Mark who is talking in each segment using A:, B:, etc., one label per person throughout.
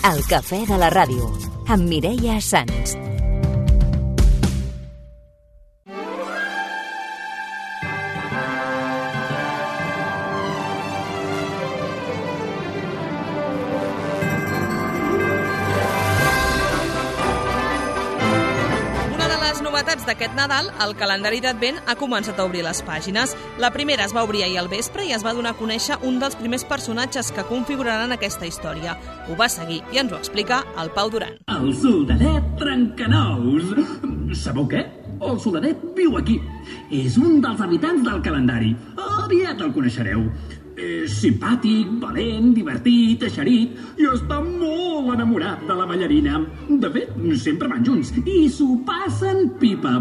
A: El cafè de la ràdio, amb Mireia Sans.
B: D'aquest Nadal, el calendari d'Advent ha començat a obrir les pàgines. La primera es va obrir ahir al vespre i es va donar a conèixer un dels primers personatges que configuraran aquesta història. Ho va seguir i ens ho explica el Pau Duran.
C: El soldadet Trencanous. Sabeu què? El soldadet viu aquí. És un dels habitants del calendari. Aviat el coneixereu. És simpàtic, valent, divertit, eixerit i està molt enamorat de la ballarina. De fet, sempre van junts i s'ho passen pipa.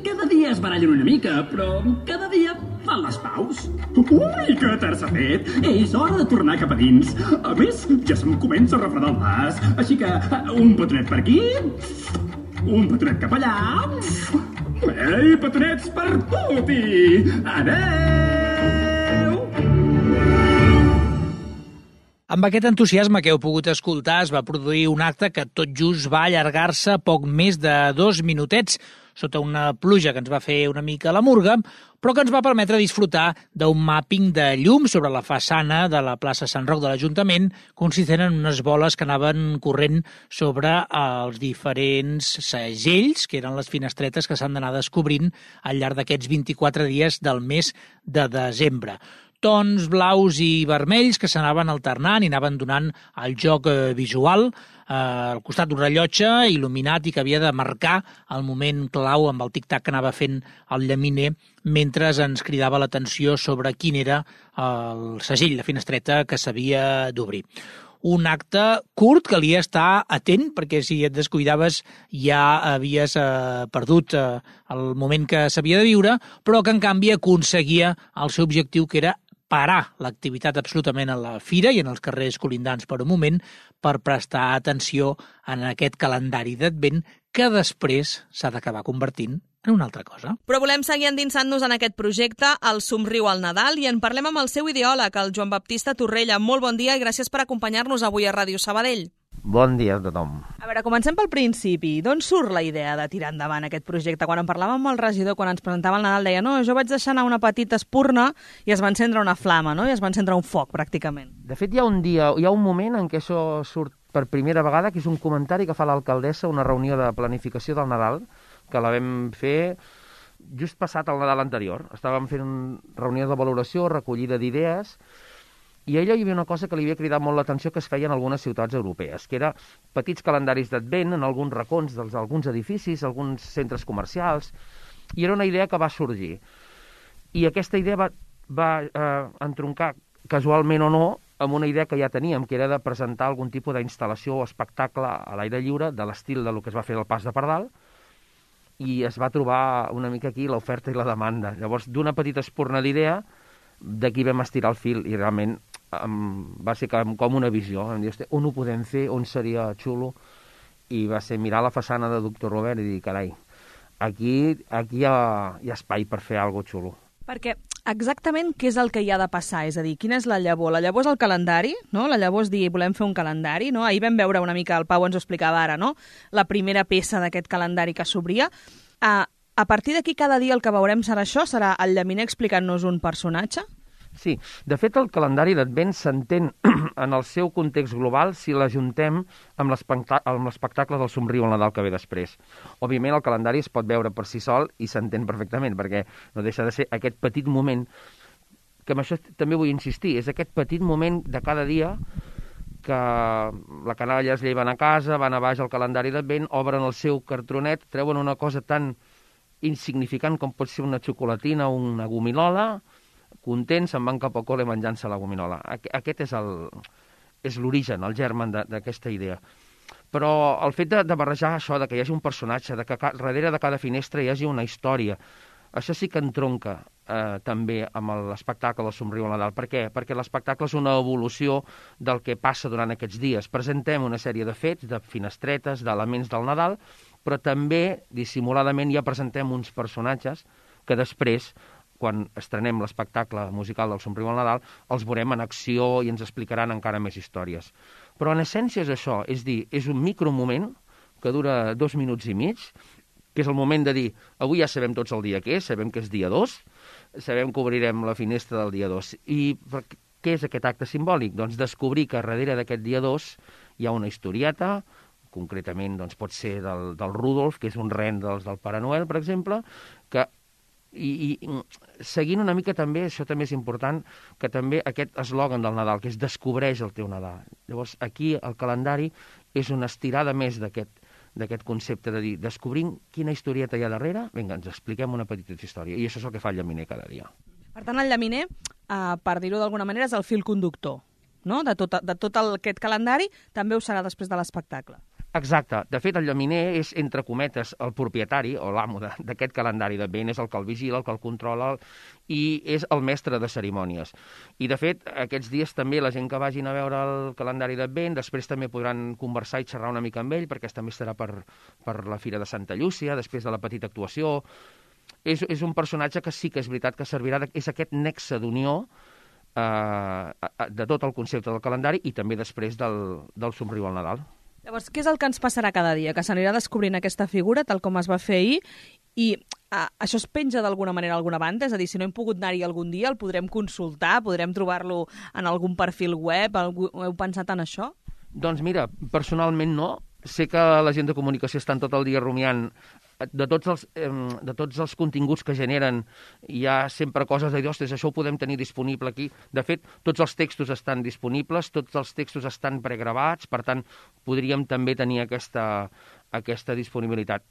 C: Cada dia es barallen una mica, però cada dia fan les paus. Ui, que tard s'ha fet! És hora de tornar cap a dins. A més, ja se'm comença a refredar el nas. Així que un petonet per aquí, un petonet cap allà. Ei, petonets per tutti! Adeu!
D: Amb aquest entusiasme que heu pogut escoltar, es va produir un acte que tot just va allargar-se poc més de 2 minutets, sota una pluja que ens va fer una mica la murga, però que ens va permetre disfrutar d'un màpping de llum sobre la façana de la plaça Sant Roc de l'Ajuntament, consistent en unes boles que anaven corrent sobre els diferents segells, que eren les finestretes que s'han d'anar descobrint al llarg d'aquests 24 dies del mes de desembre. Tons blaus i vermells que s'anaven alternant i anaven donant el joc visual al costat d'un rellotge il·luminat i que havia de marcar el moment clau amb el tic-tac que anava fent el llaminer mentre ens cridava l'atenció sobre quin era el segell, la finestreta que s'havia d'obrir. Un acte curt, calia estar atent, perquè si et descuidaves ja havies perdut el moment que s'havia de viure, però que en canvi aconseguia el seu objectiu, que era parar l'activitat absolutament a la fira i en els carrers colindants per un moment per prestar atenció en aquest calendari d'Advent que després s'ha d'acabar convertint en una altra cosa.
B: Però volem seguir endinsant-nos en aquest projecte, el Somriu al Nadal, i en parlem amb el seu ideòleg, el Joan Baptista Torrella. Molt bon dia i gràcies per acompanyar-nos avui a Ràdio Sabadell.
E: Bon dia a tothom.
B: A veure, comencem pel principi. D'on surt la idea de tirar endavant aquest projecte? Quan en parlàvem amb el regidor, quan ens presentava el Nadal, deia no, jo vaig deixar anar una petita espurna i es va encendre una flama, no? I es va encendre un foc, pràcticament.
E: De fet, hi ha un moment en què això surt per primera vegada, que és un comentari que fa l'alcaldessa a una reunió de planificació del Nadal, que la vam fer just passat el Nadal anterior. Estàvem fent reunió de valoració, recollida d'idees, i a ella hi havia una cosa que li havia cridat molt l'atenció que es feia en algunes ciutats europees, que era petits calendaris d'Advent en alguns racons d'alguns edificis, alguns centres comercials, i era una idea que va sorgir. I aquesta idea va entroncar, casualment o no, amb una idea que ja teníem, que era de presentar algun tipus d'instal·lació o espectacle a l'aire lliure, de l'estil del que es va fer al Pas de Pardal, i es va trobar una mica aquí l'oferta i la demanda. Llavors, d'una petita espurna d'idea, d'aquí vam estirar el fil i realment va ser com una visió. Vam dir, on ho podem fer, on seria xulo? I va ser mirar la façana de Doctor Robert i dir, carai, aquí hi ha espai per fer alguna cosa xulo.
B: Perquè exactament què és el que hi ha de passar? És a dir, quina és la llavor? La llavor és el calendari, no? La llavor és dir, volem fer un calendari, no? Ahir vam veure una mica, el Pau ens ho explicava ara, no? La primera peça d'aquest calendari que s'obria. A partir d'aquí, cada dia el que veurem serà això? Serà el llaminer explicant-nos un personatge?
E: Sí, de fet el calendari d'Advent s'entén en el seu context global si l'ajuntem amb l'espectacle del Somriu al Nadal que ve després. Òbviament el calendari es pot veure per si sol i s'entén perfectament, perquè no deixa de ser aquest petit moment, que amb això també vull insistir, és aquest petit moment de cada dia que la canalla es lleven a casa, van a baix al calendari d'Advent, obren el seu cartronet, treuen una cosa tan insignificant com pot ser una xocolatina o una gominola, contents, se'n van cap al col·le menjant-se la gominola. Aquest és l'origen, el germen d'aquesta idea. Però el fet de barrejar això, de que hi hagi un personatge, de que darrere de cada finestra hi hagi una història, això sí que entronca també amb l'espectacle del Somriu al Nadal. Per què? Perquè l'espectacle és una evolució del que passa durant aquests dies. Presentem una sèrie de fets, de finestretes, d'elements del Nadal, però també, dissimuladament, ja presentem uns personatges que després, quan estrenem l'espectacle musical del Somriu al Nadal, els veurem en acció i ens explicaran encara més històries. Però en essència és això, és dir, és un micromoment que dura 2 minuts i mig, que és el moment de dir, avui ja sabem tots el dia que és, sabem que és dia 2, sabem que obrirem la finestra del dia 2. I què és aquest acte simbòlic? Doncs descobrir que darrere d'aquest dia 2 hi ha una historieta, concretament doncs, pot ser del Rudolf, que és un ren del Pare Noel, per exemple, que i seguint una mica també, això també és important, que també aquest eslògan del Nadal, que és descobreix el teu Nadal. Llavors, aquí el calendari és una estirada més d'aquest concepte de dir, descobrim quina historieta hi ha darrere, vinga, ens expliquem una petita història, i això és el que fa el llaminer cada dia.
B: Per tant, el llaminer, per dir-ho d'alguna manera, és el fil conductor, no? De tot aquest calendari, també ho serà després de l'espectacle.
E: Exacte. De fet, el llaminer és, entre cometes, el propietari o l'amo d'aquest calendari d'Advent, és el que el vigila, el que el controla i és el mestre de cerimònies. I, de fet, aquests dies també la gent que vagin a veure el calendari d'Advent després també podran conversar i xerrar una mica amb ell, perquè també estarà per la Fira de Santa Llúcia, després de la petita actuació. És un personatge que sí que és veritat que servirà, és aquest nexe d'unió de tot el concepte del calendari i també després del somriu al Nadal.
B: Llavors, què és el que ens passarà cada dia? Que s'anirà descobrint aquesta figura, tal com es va fer ahir, i això es penja d'alguna manera a alguna banda? És a dir, si no hem pogut anar-hi algun dia, el podrem consultar, podrem trobar-lo en algun perfil web? Heu pensat en això?
E: Doncs mira, personalment no. Sé que la gent de comunicació estan tot el dia rumiant de tots els continguts que generen. Hi ha sempre coses de dir, ostres, això ho podem tenir disponible aquí. De fet, tots els textos estan disponibles, tots els textos estan pregravats, per tant, podríem també tenir aquesta disponibilitat.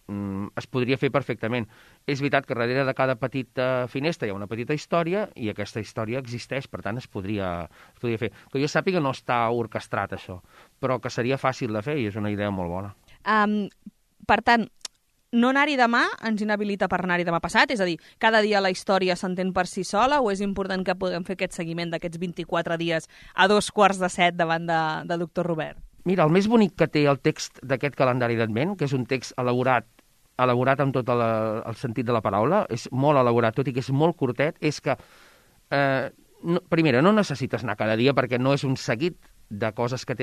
E: Es podria fer perfectament. És veritat que darrere de cada petita finestra hi ha una petita història i aquesta història existeix, per tant, es podria fer. Que jo sàpiga no està orquestrat, això, però que seria fàcil de fer i és una idea molt bona.
B: Per tant, no anar-hi demà ens inhabilita per anar-hi demà passat? És a dir, cada dia la història s'entén per si sola o és important que puguem fer aquest seguiment d'aquests 24 dies a 6:45 davant de Doctor Robert?
E: Mira, el més bonic que té el text d'aquest calendari d'Advent, que és un text elaborat amb tot el sentit de la paraula, és molt elaborat, tot i que és molt curtet, és que, primera, no necessites anar cada dia perquè no és un seguit de coses que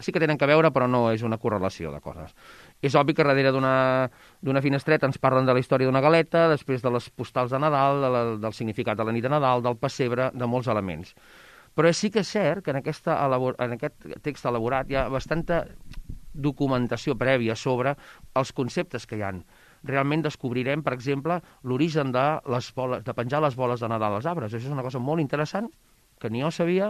E: sí que tenen que veure, però no és una correlació de coses. És obvi que darrere d'una finestreta ens parlen de la història d'una galeta, després de les postals de Nadal, del significat de la nit de Nadal, del pessebre, de molts elements. Però sí que és cert que en aquest text elaborat hi ha bastanta documentació prèvia sobre els conceptes que hi ha. Realment descobrirem, per exemple, l'origen de penjar les boles de Nadal als arbres. Això és una cosa molt interessant, que ni jo sabia,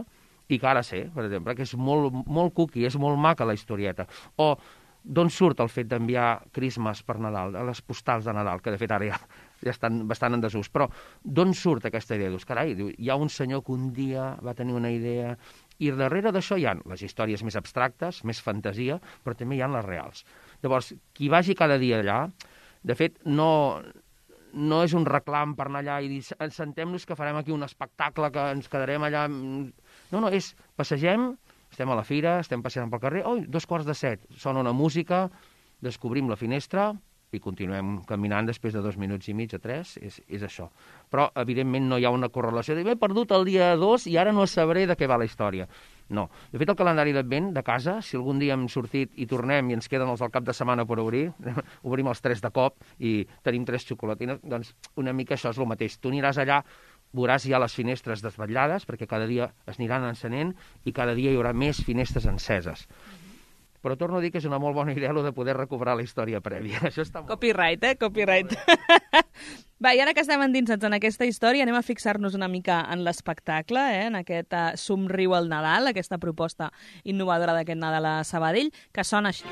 E: i que ara sé, per exemple, que és molt cookie, és molt maca la historieta. O d'on surt el fet d'enviar crismes per Nadal, a les postals de Nadal, que de fet ara ja estan bastant en desús. Però d'on surt aquesta idea? Dius, carai, hi ha un senyor que un dia va tenir una idea, i darrere d'això hi ha les històries més abstractes, més fantasia, però també hi ha les reals. Llavors, qui vagi cada dia allà, de fet, no és un reclam per anar allà i dir, sentem-nos que farem aquí un espectacle, que ens quedarem allà. No, és, passegem, estem a la fira, estem passejant pel carrer, 7:15, sona una música, descobrim la finestra i continuem caminant després de 2 minuts i mig o 3, és això. Però, evidentment, no hi ha una correlació de m'he perdut el dia 2 i ara no sabré de què va la història. No. De fet, el calendari d'Advent de casa, si algun dia hem sortit i tornem i ens queden els del cap de setmana per obrir, obrim els 3 de cop i tenim 3 xocolatines, doncs una mica això és el mateix. Tu aniràs allà, veuràs ja les finestres desvetllades, perquè cada dia es aniran encenent i cada dia hi haurà més finestres enceses. Però torno a dir que és una molt bona idea de poder recuperar la història prèvia. Això està molt...
B: Copyright, Copyright. Va, i ara que estem endinsats en aquesta història, anem a fixar-nos una mica en l'espectacle, en aquest somriu al Nadal, aquesta proposta innovadora d'aquest Nadal a Sabadell, que sona així.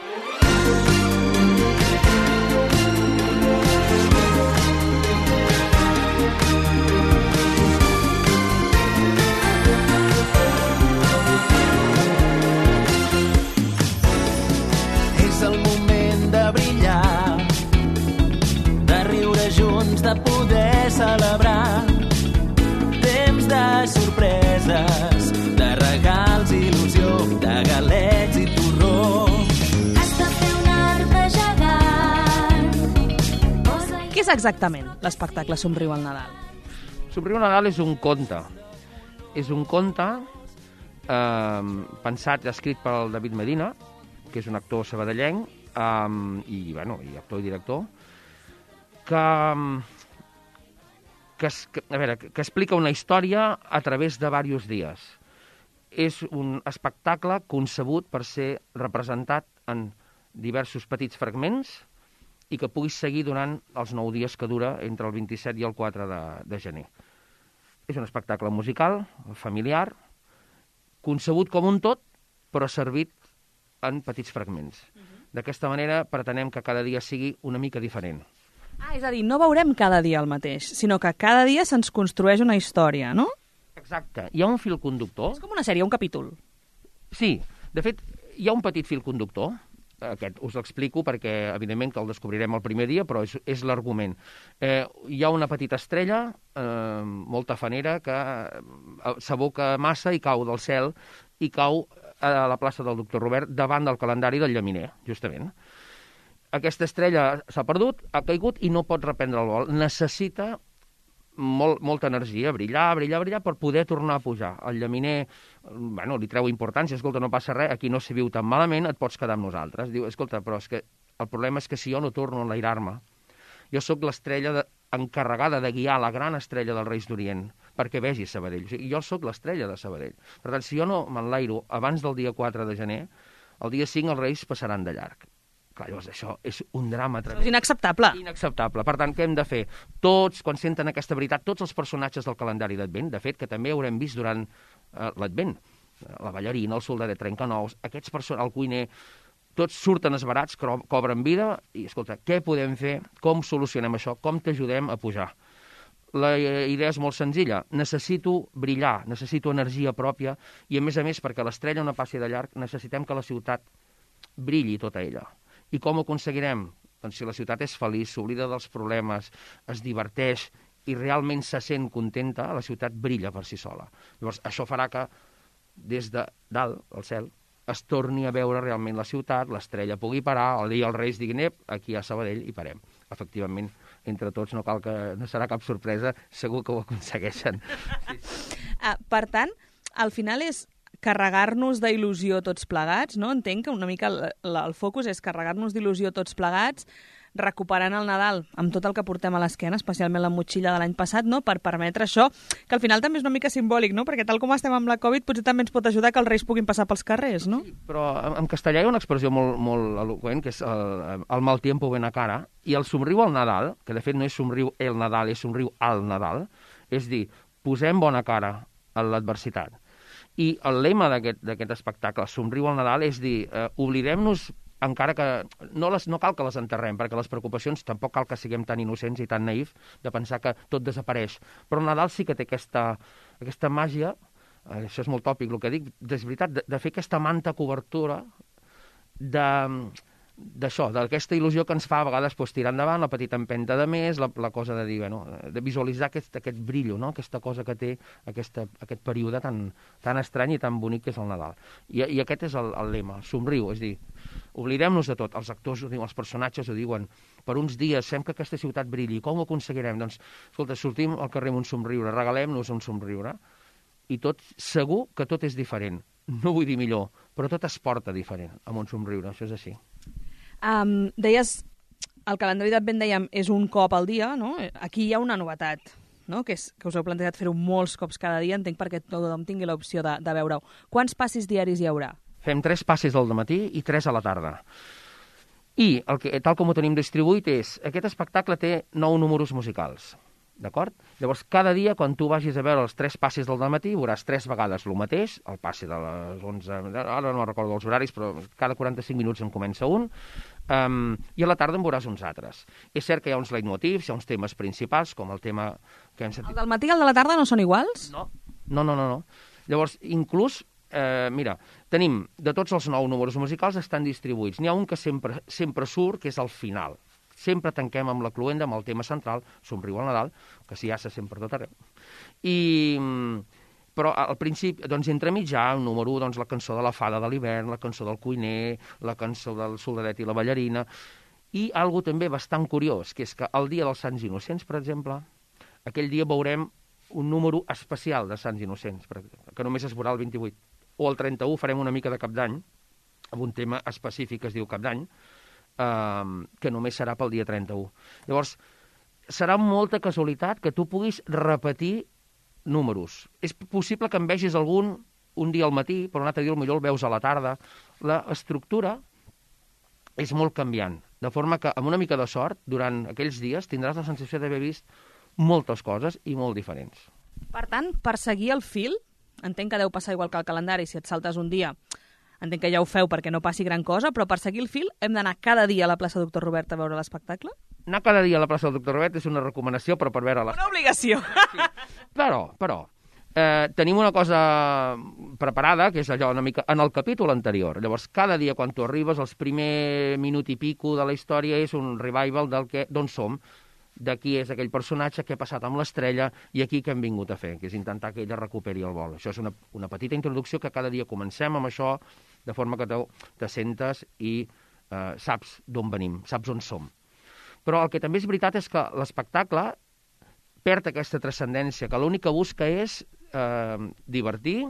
F: És el moment de brillar, de riure junts, de poder celebrar. Temps de sorpreses, de regals, il·lusió, de galets i torró.
G: Has de fer un arbre gegant.
B: Què és exactament l'espectacle Somriu al Nadal?
E: Somriu al Nadal és un conte. És un conte pensat i escrit pel David Medina, que és un actor sabadellenc, i actor i director, que explica una història a través de diversos dies. És un espectacle concebut per ser representat en diversos petits fragments i que puguis seguir durant els 9 dies que dura entre el 27 i el 4 de gener. És un espectacle musical, familiar, concebut com un tot, però servit en petits fragments. D'aquesta manera pretenem que cada dia sigui una mica diferent.
B: És a dir, no veurem cada dia el mateix, sinó que cada dia se'ns construeix una història, no?
E: Exacte. Hi ha un fil conductor.
B: És com una sèrie, un capítol.
E: Sí. De fet, hi ha un petit fil conductor. Aquest us l'explico perquè, evidentment, que el descobrirem el primer dia, però és l'argument. Hi ha una petita estrella, molt tafanera, que s'aboca massa i cau del cel i cau a la plaça del Doctor Robert davant del calendari del llaminer, justament. Aquesta estrella s'ha perdut, ha caigut i no pot reprendre el vol. Necessita molta energia, brillar, per poder tornar a pujar. El llaminer, li treu importància, escolta, no passa res, aquí no s'hi viu tan malament, et pots quedar amb nosaltres. Diu, escolta, però és que el problema és que si jo no torno a enlairar-me, jo sóc l'estrella encarregada de guiar la gran estrella dels Reis d'Orient perquè vegi Sabadell. O sigui, jo sóc l'estrella de Sabadell. Per tant, si jo no m'enlairo abans del dia 4 de gener, el dia 5 els Reis passaran de llarg. Clar, llavors això és un drama tremend.
B: És inacceptable.
E: Inacceptable. Per tant, què hem de fer? Tots, quan senten aquesta veritat, tots els personatges del calendari d'Advent, de fet, que també haurem vist durant l'Advent, la ballarina, el soldadet trencanous, aquests el cuiner, tots surten esbarats, cobren vida, i escolta, què podem fer? Com solucionem això? Com t'ajudem a pujar? La idea és molt senzilla. Necessito brillar, necessito energia pròpia, i a més, perquè l'estrella no passi de llarg, necessitem que la ciutat brilli tota ella. I com ho aconseguirem? Doncs si la ciutat és feliç, s'oblida dels problemes, es diverteix i realment se sent contenta, la ciutat brilla per si sola. Llavors, això farà que des de dalt, al cel, es torni a veure realment la ciutat, l'estrella pugui parar, el dia els Reis diguin, aquí a Sabadell i parem. Efectivament, entre tots no serà cap sorpresa, segur que ho aconsegueixen. Sí.
B: Per tant, al final és carregar-nos d'il·lusió tots plegats, no? Entenc que una mica el focus és carregar-nos d'il·lusió tots plegats, recuperant el Nadal amb tot el que portem a l'esquena, especialment la motxilla de l'any passat, no? Per permetre això, que al final també és una mica simbòlic, no? Perquè tal com estem amb la Covid, potser també ens pot ajudar que els Reis puguin passar pels carrers, no?
E: Sí, però en castellà hi ha una expressió molt eloqüent, que és el mal tiempo ven a cara, i el somriu al Nadal, que de fet no és somriu el Nadal, és somriu al Nadal, és dir, posem bona cara a l'adversitat. I el lema d'aquest espectacle, Somriu al Nadal, és dir, oblidem-nos, encara que no cal que les enterrem, perquè les preocupacions tampoc cal que siguem tan innocents i tan naïfs de pensar que tot desapareix. Però el Nadal sí que té aquesta màgia, això és molt tòpic el que dic, és veritat, de fer aquesta manta cobertura d'això, d'aquesta il·lusió que ens fa a vegades tirar endavant, la petita empenta de més, la cosa de dir, de visualitzar aquest brillo, no? Aquesta cosa que té aquest període tan estrany i tan bonic que és el Nadal. I aquest és el lema, somriu, és dir, oblidem-nos de tot, els actors ho diuen, els personatges ho diuen, per uns dies fem que aquesta ciutat brilli, com ho aconseguirem? Doncs, escolta, sortim al carrer amb un somriure, regalem-nos un somriure, i tot, segur que tot és diferent. No vull dir millor, però tot es porta diferent amb un somriure, això és així.
B: Deies, el calendari d'Advent, dèiem, és un cop al dia, no? Aquí hi ha una novetat, no? Que us heu plantejat fer-ho molts cops cada dia, entenc perquè tothom tingui l'opció de veure-ho. Quants passis diaris hi haurà?
E: Fem 3 passis al matí i 3 a la tarda. I, tal com ho tenim distribuït, aquest espectacle té 9 números musicals. D'acord? Llavors, cada dia, quan tu vagis a veure els 3 passis del matí, veuràs 3 vegades el mateix, el passi de les 11... Ara no recordo els horaris, però cada 45 minuts en comença un, i a la tarda en veuràs uns altres. És cert que hi ha uns leitmotivs, hi ha uns temes principals, com el tema que hem sentit...
B: El del matí i el de la tarda no són iguals?
E: No. Llavors, inclús, mira, tenim, de tots els 9 números musicals estan distribuïts. N'hi ha un que sempre surt, que és al final. Sempre tanquem amb la cloenda, amb el tema central, Somriu al Nadal, que s'hi ha sempre tot arreu. Però al principi, doncs, entremig ja, el número 1, doncs, la cançó de la fada de l'hivern, la cançó del cuiner, la cançó del soldadet i la ballarina, i algo també bastant curiós, que és que el dia dels Sants Innocents, per exemple, aquell dia veurem un número especial de Sants Innocents, que només es veurà el 28. o el 31 farem una mica de Cap d'Any, amb un tema específic que es diu Cap d'Any, que només serà pel dia 31. Llavors, serà molta casualitat que tu puguis repetir números. És possible que en vegis algun un dia al matí, però un altre dia potser el veus a la tarda. L'estructura és molt canviant, de forma que amb una mica de sort, durant aquells dies tindràs la sensació d'haver vist moltes coses i molt diferents.
B: Per tant, per seguir el fil, entenc que deu passar igual que el calendari, si et saltes un dia, entenc que ja ho feu perquè no passi gran cosa, però per seguir el fil hem d'anar cada dia a la plaça Doctor Robert a veure l'espectacle?
E: Anar cada dia a la plaça del Doctor Robert és una recomanació, però per veure
B: Una obligació.
E: Sí. Però, tenim una cosa preparada, que és allò una mica en el capítol anterior. Llavors, cada dia quan tu arribes, els primer minut i pico de la història és un revival d'on som, de qui és aquell personatge, què ha passat amb l'estrella i aquí què hem vingut a fer, que és intentar que ella recuperi el vol. Això és una petita introducció que cada dia comencem amb això, de forma que te sentes i saps d'on venim, saps on som. Però el que també és veritat és que l'espectacle perd aquesta transcendència, que l'únic que busca és divertir,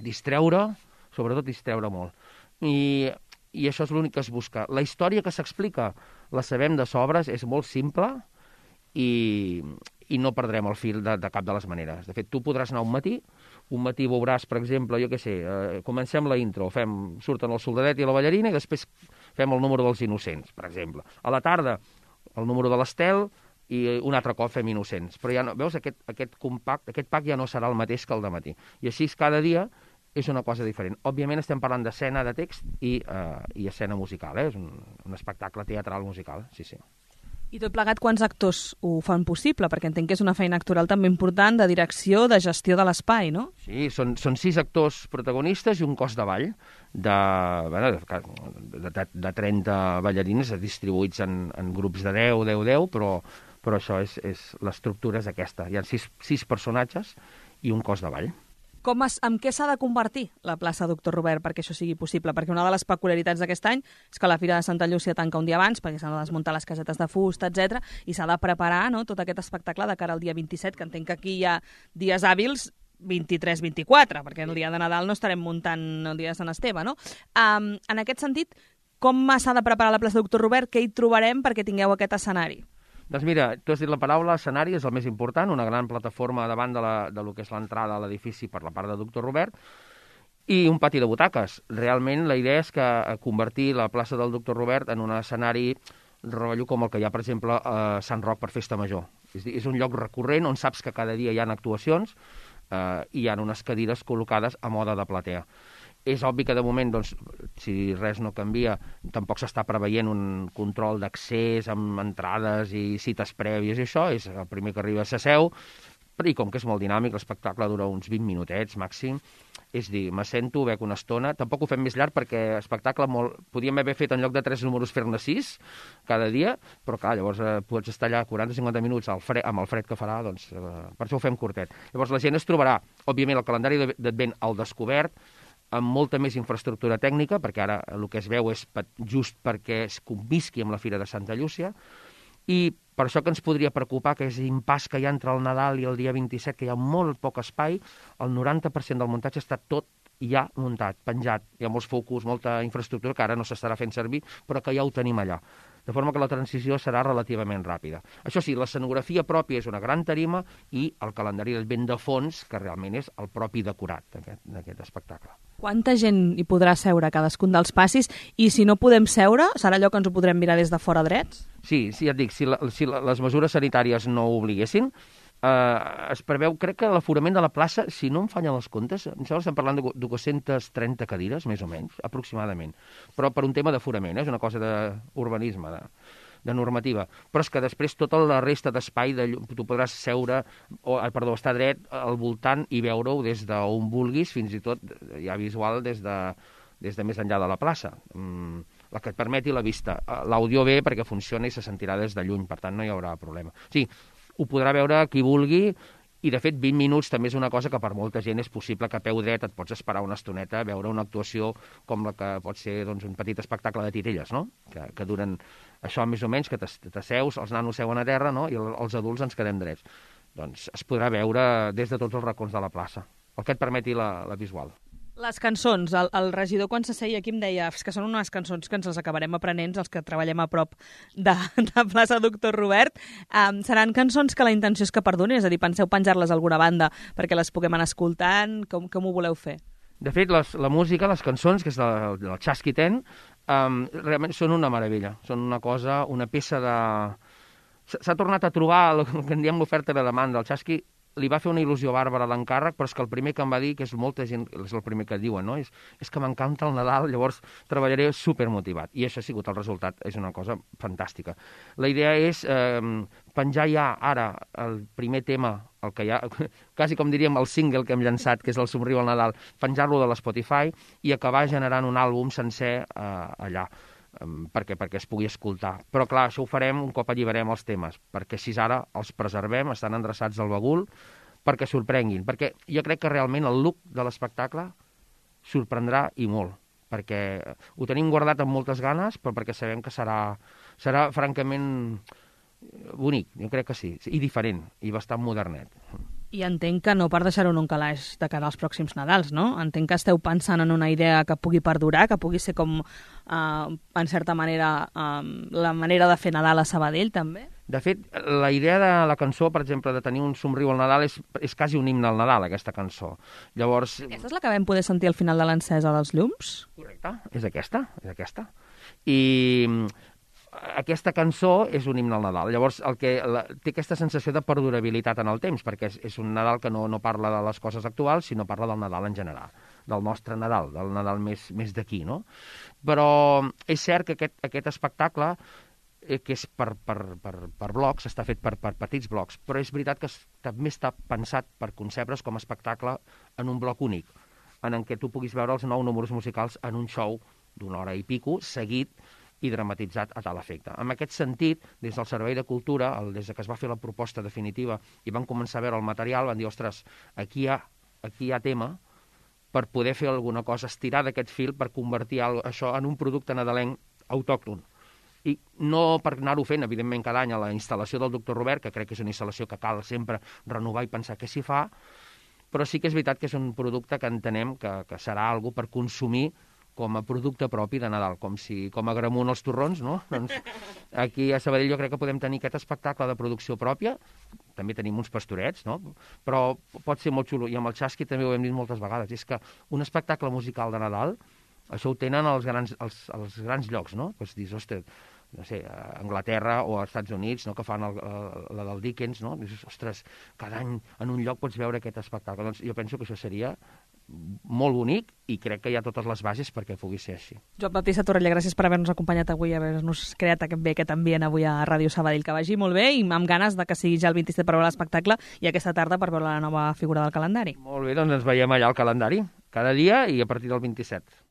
E: distreure, sobretot distreure molt. I això és l'únic que es busca. La història que s'explica, la sabem de sobres, és molt simple i no perdrem el fil de cap de les maneres. De fet, tu podràs anar un matí veuràs, per exemple, jo què sé, comencem la intro, surten el soldadet i la ballarina i després fem el número dels innocents, per exemple. A la tarda, el número de l'Estel i un altre cop fem innocents. Però ja no, veus, aquest pack ja no serà el mateix que el de matí. I així cada dia és una cosa diferent. Òbviament estem parlant d'escena de text i escena musical, és un espectacle teatral musical, sí.
B: I tot plegat, quants actors ho fan possible? Perquè entenc que és una feina actoral també important de direcció, de gestió de l'espai, no?
E: Sí, són 6 actors protagonistes i un cos de ball de 30 ballarines distribuïts en grups de 10, però això l'estructura és aquesta. Hi ha 6 personatges i un cos de ball.
B: Amb què s'ha de convertir la plaça Doctor Robert perquè això sigui possible? Perquè una de les peculiaritats d'aquest any és que la Fira de Santa Llúcia tanca un dia abans perquè s'han de desmuntar les casetes de fusta, etc i s'ha de preparar, no, tot aquest espectacle de cara al dia 27, que entenc que aquí hi ha dies hàbils 23-24, perquè el dia de Nadal no estarem muntant el dia de Sant Esteve, no? En aquest sentit, com s'ha de preparar la plaça Doctor Robert? Què hi trobarem perquè tingueu aquest escenari?
E: Doncs mira, tu has dit la paraula, escenari és el més important, una gran plataforma davant de lo que és l'entrada a l'edifici per la part de Doctor Robert, i un pati de butaques. Realment la idea és que convertir la plaça del Doctor Robert en un escenari rotllo com el que hi ha, per exemple, a Sant Roc per Festa Major. És un lloc recurrent on saps que cada dia hi ha actuacions i hi ha unes cadires col·locades a moda de platea. És obvi que de moment, doncs, si res no canvia, tampoc s'està preveient un control d'accés amb entrades i cites prèvies i això, és el primer que arriba s'asseu, i com que és molt dinàmic, l'espectacle dura uns 20 minutets màxim, és dir, m'assento, bec una estona, tampoc ho fem més llarg perquè l'espectacle podíem haver fet en lloc de 3 números fer-ne 6 cada dia, però clar, llavors pots estar allà 40-50 minuts amb el fred que farà, doncs per això ho fem curtet. Llavors la gent es trobarà, òbviament, el calendari d'Advent al descobert, amb molta més infraestructura tècnica, perquè ara el que es veu és just perquè es convisqui amb la Fira de Santa Llúcia, i per això que ens podria preocupar que és l'impàs que hi ha entre el Nadal i el dia 27, que hi ha molt poc espai, el 90% del muntatge està tot ja muntat, penjat. Hi ha molts focus, molta infraestructura que ara no s'estarà fent servir, però que ja ho tenim allà. De forma que la transició serà relativament ràpida. Això sí, l'escenografia pròpia és una gran tarima i el calendari d'Advent de fons, que realment és el propi decorat d'aquest espectacle.
B: Quanta gent hi podrà seure a cadascun dels passis? I si no podem seure, serà allò que ens ho podrem mirar des de fora drets?
E: Sí, ja et dic, si les mesures sanitàries no ho obliguessin, es preveu, crec que l'aforament de la plaça, si no em fallen els comptes, em sembla que estem parlant de 230 cadires, més o menys, aproximadament. Però per un tema d'aforament, és una cosa d'urbanisme, de normativa. Però és que després tota la resta d'espai, tu podràs estar dret al voltant i veure-ho des d'on vulguis, fins i tot ja visual des de més enllà de la plaça. La que et permeti la vista. L'àudio ve perquè funciona i se sentirà des de lluny, per tant no hi haurà problema. Sí, ho podrà veure qui vulgui, i de fet 20 minuts també és una cosa que per molta gent és possible que a peu dret et pots esperar una estoneta a veure una actuació com la que pot ser un petit espectacle de titelles, no? Que duren això més o menys, que t'asseus, els nanos seuen a terra, no? I els adults ens quedem drets. Doncs es podrà veure des de tots els racons de la plaça, el que et permeti la visual.
B: Les cançons, el regidor quan s'asseia aquí em deia que són unes cançons que ens les acabarem aprenent els que treballem a prop de plaça Doctor Robert. Seran cançons que la intenció és que perdonin, és a dir, penseu penjar-les a alguna banda perquè les puguem anar escoltant, com ho voleu fer?
E: De fet, la música, les cançons, que és del Chasqui Ten, realment són una meravella. Són una cosa, una peça de... S'ha tornat a trobar el que en diem l'oferta i la demanda. El Chasqui li va fer una il·lusió bàrbara l'encàrrec, però és que el primer que em va dir, que és molta gent, és el primer que diuen, no? És que m'encanta el Nadal, llavors treballaré supermotivat. I això ha sigut el resultat, és una cosa fantàstica. La idea és penjar ja ara el primer tema, el que ja, quasi com diríem el single que hem llançat, que és el Somriu al Nadal, penjar-lo de l'Spotify i acabar generant un àlbum sencer allà. Perquè es pugui escoltar. Però clar, això ho farem un cop alliberem els temes, perquè així ara els preservem, estan endreçats al bagul, perquè sorprenguin. Perquè jo crec que realment el look de l'espectacle sorprendrà i molt, perquè ho tenim guardat amb moltes ganes, però perquè sabem que serà francament bonic, jo crec que sí, i diferent, i bastant modernet.
B: I entenc que no per deixar-ho en un calaix de cara als pròxims Nadals, no? Entenc que esteu pensant en una idea que pugui perdurar, que pugui ser com, en certa manera, la manera de fer Nadal a Sabadell, també?
E: De fet, la idea de la cançó, per exemple, de tenir un somriu al Nadal és quasi un himne al Nadal, aquesta cançó. Llavors...
B: Aquesta és la que vam poder sentir al final de l'encesa dels llums?
E: Correcte, és aquesta. I aquesta cançó és un himne al Nadal. Llavors, té aquesta sensació de perdurabilitat en el temps, perquè és un Nadal que no parla de les coses actuals, sinó parla del Nadal en general, del nostre Nadal, del Nadal més d'aquí, no? Però és cert que aquest espectacle, que és per blocs, està fet per petits blocs, però és veritat que també està pensat per concebre's com a espectacle en un bloc únic, en què tu puguis veure els 9 números musicals en un show d'una hora i pico, seguit i dramatitzat a tal efecte. En aquest sentit, des del Servei de Cultura, des que es va fer la proposta definitiva i van començar a veure el material, van dir, ostres, aquí hi ha tema per poder fer alguna cosa, estirar d'aquest fil per convertir això en un producte nadalenc autòcton. I no per anar-ho fent, evidentment, cada any a la instal·lació del Doctor Robert, que crec que és una instal·lació que cal sempre renovar i pensar què s'hi fa, però sí que és veritat que és un producte que entenem que serà algo per consumir com a producte propi de Nadal, com a Gramunt els torrons, no? Doncs aquí a Sabadell jo crec que podem tenir aquest espectacle de producció pròpia, també tenim uns pastorets, no? Però pot ser molt xulo, i amb el Chasqui també ho hem dit moltes vegades, és que un espectacle musical de Nadal, això ho tenen els grans llocs, no? Doncs dius, ostres, no sé, a Anglaterra o als Estats Units, no?, que fan la del Dickens, no? Dius, ostres, cada any en un lloc pots veure aquest espectacle. Doncs jo penso que això seria molt bonic i crec que hi ha totes les bases perquè pugui ser així.
B: Joan Baptista Torrella, gràcies per haver-nos acompanyat avui, haver-nos creat aquest ambient avui a Ràdio Sabadell. Que vagi molt bé i amb ganes de que sigui ja el 27 per veure l'espectacle i aquesta tarda per veure la nova figura del calendari.
E: Molt bé, doncs ens veiem allà al calendari, cada dia i a partir del 27.